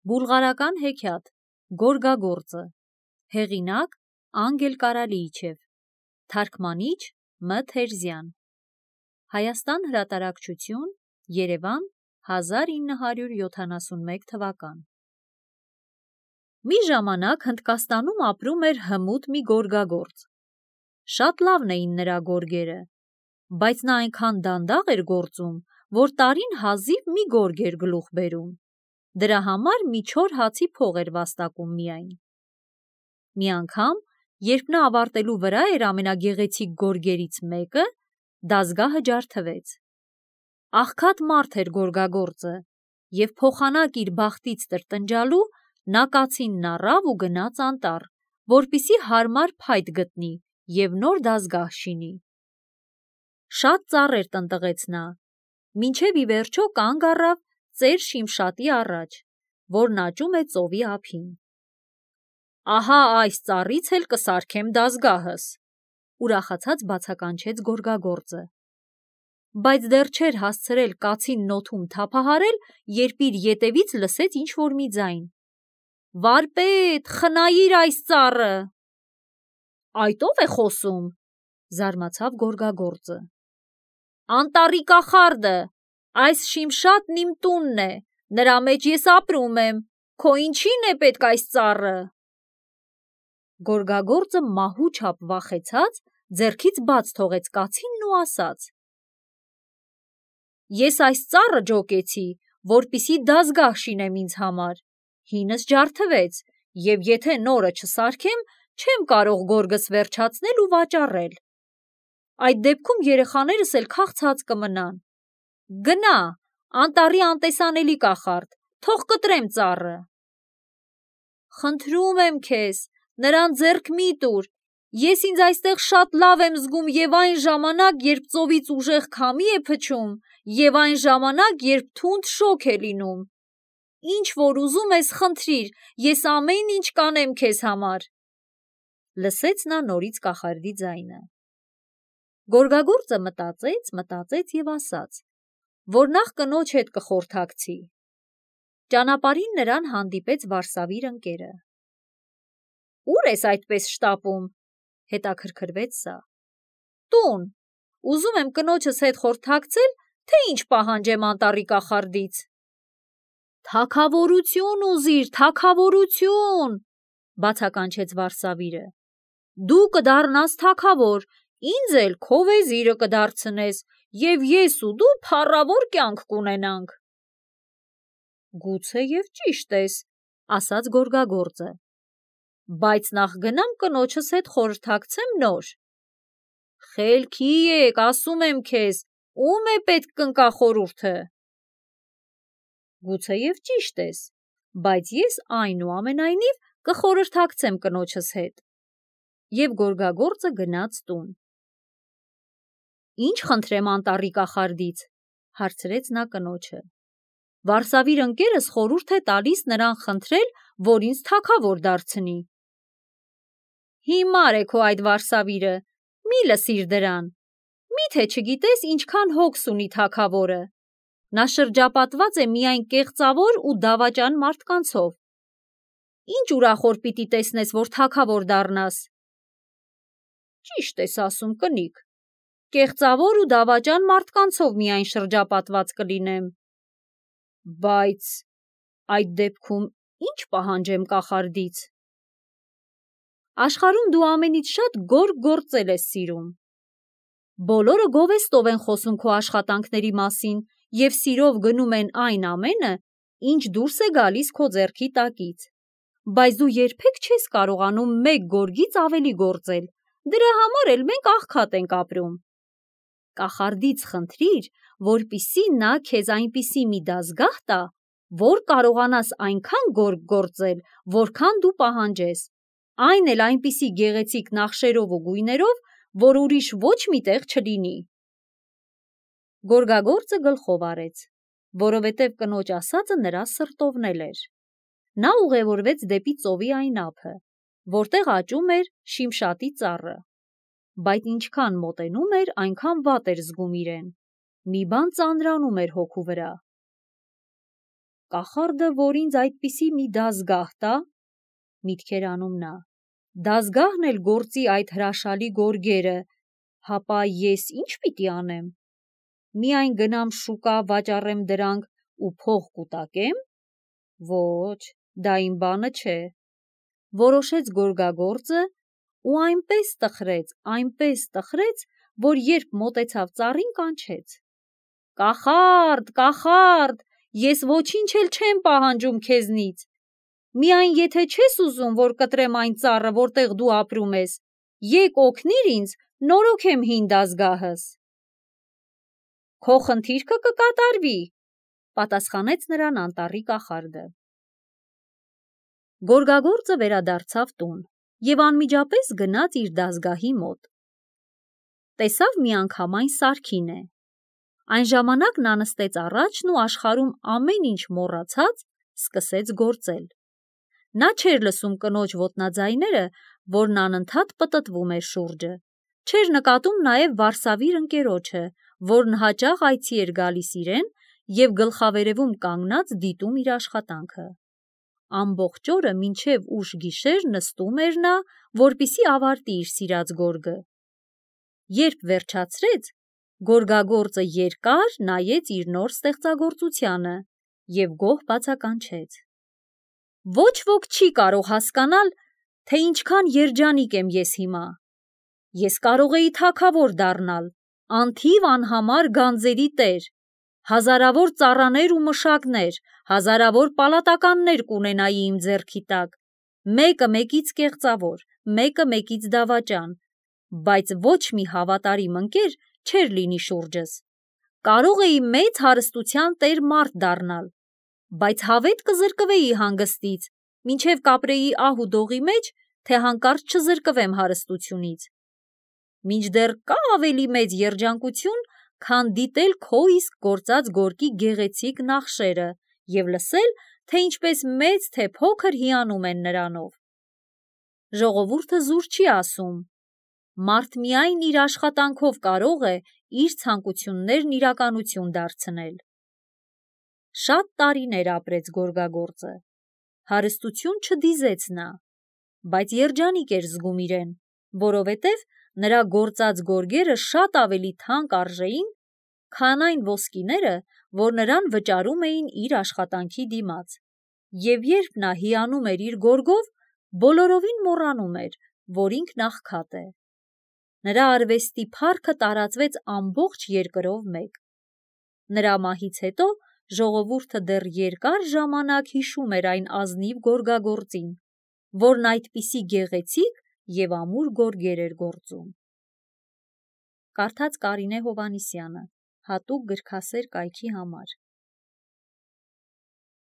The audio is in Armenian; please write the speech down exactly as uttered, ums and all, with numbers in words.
Բուլղարական հեքիաթ Գորգագործը հեղինակ Անգել Կարալիիչև թարգմանիչ Մ Թերզյան Հայաստան հրատարակչություն Երևան հազար ինը հարյուր յոթանասունմեկ թվական Մի ժամանակ Հնդկաստանում ապրում էր հմուտ մի գորգագործ Շատ լավն էին նրա գորգերը բայց նա այնքան դանդաղ էր գործում որ տարին հազիվ մի գորգ էր գլուխ բերում Դրա համար մի չոր հացի փող էր վաստակում միայն Մի անգամ երբ նա ավարտելու վրա էր ամենագեղեցիկ գորգերից մեկը դազգահը ջարդվեց Աղքատ մարդ էր գորգագործը և փոխանակ իր բախտից տրտնջալու նա կացինն առավ ու գնաց անտառ որպեսզի հարմար փայտ գտնի և նոր դազգահ շինի Շատ ծառեր տնտղեց նա մինչև ի վերջո կանգ առավ ծեր Շիմշատի առաջ որն աճում է ծովի ափին Ահա այս ծառից էլ կսարքեմ դազգահս ուրախացած բացականչեց գորգագործը Բայց դեռ չէր հասցրել կացինն օդում թափահարել, երբ իր ետևից լսեց ինչ-որ մի ձայն. Վարպետ, խնայիր այս ծառը: Այդ ո՞վ է խոսում: Զարմացավ գորգագործը: Անտառի կախարդը, այս Շիմշատն իմ տունն է, նրա մեջ ես ապրում եմ, քո ինչի՞ն է պետք այս ծառը: Գորգագործը մահու չափ վախեցած ձեռքից բաց թողեց կացինն ու ասաց. Ես այս ծառը ջոկեցի, որպեսզի դազգահ շինեմ ինձ համար, հինս ջարդվեց և եթե նորը չսարքեմ, չեմ կարող գորգս վերջացնել ու վաճառել: Այդ դեպքում երեխաներս էլ քաղցած կմնան: Գնա, անտառի անտեսանելի կախարդ, թող կտրեմ ծառը: Խնդրում եմ քեզ, նրան ձեռք մի տուր, ես ինձ այստեղ շատ լավ եմ զգում և այն ժամանակ, երբ ծովից ուժեղ քամի է փչում և այն ժամանակ, երբ թունդ շոգ է լինում: Ինչ որ ուզում ես խնդրիր, ես ամեն ինչ կանեմ քեզ համար: Լսեց նա նորից կախարդի ձայնը: Գորգագործը մտածեց, մտածեց և ասաց, որ նախ կնոջ հետ կխորհրդակցի: Ճանապարհին նրան հանդիպեց Վարսավիր ընկերը: Ո՞ւր ես այդպես շտապում: Հետաքրքրվեց սա: Տուն: Ուզում եմ կնոջս հետ խորհրդակցել, թե ինչ պահանջեմ անտառի կախարդից: Թագավորություն ուզիր, թագավորություն: Բացականչեց Վարսավիրը: Դու կդառնաս թագավոր, ինձ էլ քո վեզիրը կդարձնես և ես ու դու փառավոր կյանք կունենանք: Գուցեև ճիշտ ես, ասաց գորգագործը: Բայց նախ գնամ կնոջս հետ խորհրդակցեմ նոր: Խելքի եկ, ասում եմ քեզ, ո՞ւմ է պետք կնկա խորհուրդը: Գուցեև ճիշտ ես, բայց ես այնուամենայնիվ կխորհրդակցեմ կնոջս հետ: Եվ գորգագործը գնաց տուն: Ի՞նչ խնդրեմ անտառի կախարդից: Հարցրեց նա կնոջը: Վարսավիր ընկերս խորհուրդ է տալիս նրան խնդրել, որ ինձ թագավոր դարձնի: Հիմար է քո այդ Վարսավիրը, մի լսիր դրան: Մի՞թե չգիտես ինչքան հոգս ունի թագավորը: Նա շրջապատված է միայն կեղծավոր ու դավաճան մարդկանցով: Ինչ ուրախ օր պիտի տեսնես, որ թագավոր դառնաս: Ճիշտ ես ասում, կնիկ, կեղծավոր ու դավաճան մարդկանցով միայն շրջապատված կլինեմ: Բայց այդ դեպքում ի՞նչ պահանջեմ կախարդից: Աշխարհում դու ամենից շատ գորգ գործել ես սիրում: Բոլորը գովեստով են խոսում քո աշխատանքների մասին և սիրով գնում են այն ամենը, ինչ դուրս է գալիս քո ձեռքի տակից: Բայց դու երբեք չես կարողանում մեկ գորգից ավելի գործել, դրա համար էլ մենք աղքատ ենք ապրում: Կախարդից խնդրիր, որպեսզի նա քեզ այնպիսի մի դազգահ տա, որ կարողանաս այնքան գորգ գործել, որքան դու պահանջես, այն էլ այնպիսի գեղեցիկ նախշերով ու գույներով, որ ուրիշ ոչ մի տեղ չլինի: Գորգագործը գլխով արեց, որովհետև կնոջ ասածը նրա սրտովն էր: Նա ուղևորվեց դեպի ծովի այն ափը, որտեղ աճում էր Շիմշատի ծառը: Բայց ինչքան մոտենում էր, այնքան վատ էր զգում իրեն: Մի բան ծանրանում էր հոգու վրա: կախարդը, որ ինձ այդպիսի մի դազգահ տա, միտքեր անում նա, դազգահն էլ գործի այդ հրաշալի գորգերը, հապա ես ինչ պիտի անեմ, միայն գնամ շուկա վաճառեմ դրանք ու փող կուտակեմ, ոչ, դա իմ բանը չէ, որոշեց գորգագործը ու այնպես տխրեց, այնպես տխրեց, որ երբ մոտեցավ ծառին, կանչեց. «Կախարդ, կախարդ, ես ոչինչ էլ չեմ պահանջում քեզնից, միայն եթե չես ուզում, որ կտրեմ այն ծառը, որտեղ դու ապրում ես, եկ օգնիր ինձ, նորոգեմ հին դազգահս»։ «Քո խնդիրքը կկատարվի», պատասխանեց նրան անտառի կախարդը։ Գորգագործը վերադարձավ տուն և անմիջապես գնաց իր դազգահի մոտ։ Տեսավ միանգամայն Սարքին է։ Այն ժամանակ նա նստեց առաջն ու աշխարհում ամեն ինչ մոռացած սկսեց գործել։ Նա չէր լսում կնոջ ոտնաձայները, որն անընդհատ պտտվում էր շուրջը, չէր նկատում նաև վարսավիր ընկերոջը, որն հաճախ այցի էր գալիս իրեն և գլխավերևում կանգնած դիտում իր աշխատանքը։ Ամբողջ օրը մինչև ուշ գիշեր նստում էր նա, որպեսզի ավարտի իր սիրած գորգը։ Երբ վերջացրեց, գորգագործը երկար նայեց իր նոր ստեղծագործությանը և գոհ բացականչեց. «Ոչ ոք չի կարող հասկանալ, թե ինչքան երջանիկ եմ ես հիմա։ Ես կարող էի թագավոր դառնալ, անթիվ անհամար գանձերի տեր, հազարավոր ծառաներ ու մշակներ, հազարավոր պալատականներ կունենայի իմ ձեռքի տակ, մեկը մեկից կեղծավոր, մեկը մեկից դավաճան, բայց ոչ մի հավատարիմ ընկեր չէր լինի շուրջս։ Կարող էի մեծ հարստության տեր մարդ դառնալ, բայց հավետ կզրկվեի հանգստից, մինչև կապրեի ահ ու դողի մեջ, թե հանկարծ չզրկվեմ հարստությունից։ Մինչդեռ կա ավելի մեծ երջանկություն, քան դիտել քո իսկ գործած գորգի գեղեցիկ նախշերը և լսել, թե ինչպես մեծ, թե փոքր հիանում են նրանով։ Ժողովուրդը զուր չի ասում, մարդ միայն իր աշխատանքով կարող է իր ցանկություններն իրականություն դարձնել։ Շատ տարիներ ապրեց գորգագործը, հարստություն չդիզեց նա, բայց երջանիկ էր զգում իրեն, որովհետև նրա գործած գորգերը շատ ավելի թանկ արժեին, քան այն ոսկիները, որ նրան վճարում էին իր աշխատանքի դիմաց, և երբ նա հիանում էր իր գորգով, բոլորովին մոռանում էր, որ ինքն աղքատ է։ Նրա արվեստի փառքը տարածվեց ամբողջ երկրով մեկ։ Նրա մահից հետո ժողովուրդը դեռ երկար ժամանակ հիշում էր այն ազնիվ գորգագործին, որն այդպիսի գեղեցիկ և ամուր գորգեր էր գործում։ Կարդաց Կարինե Հովհաննիսյանը, հատուկ գրքասեր կայքի համար։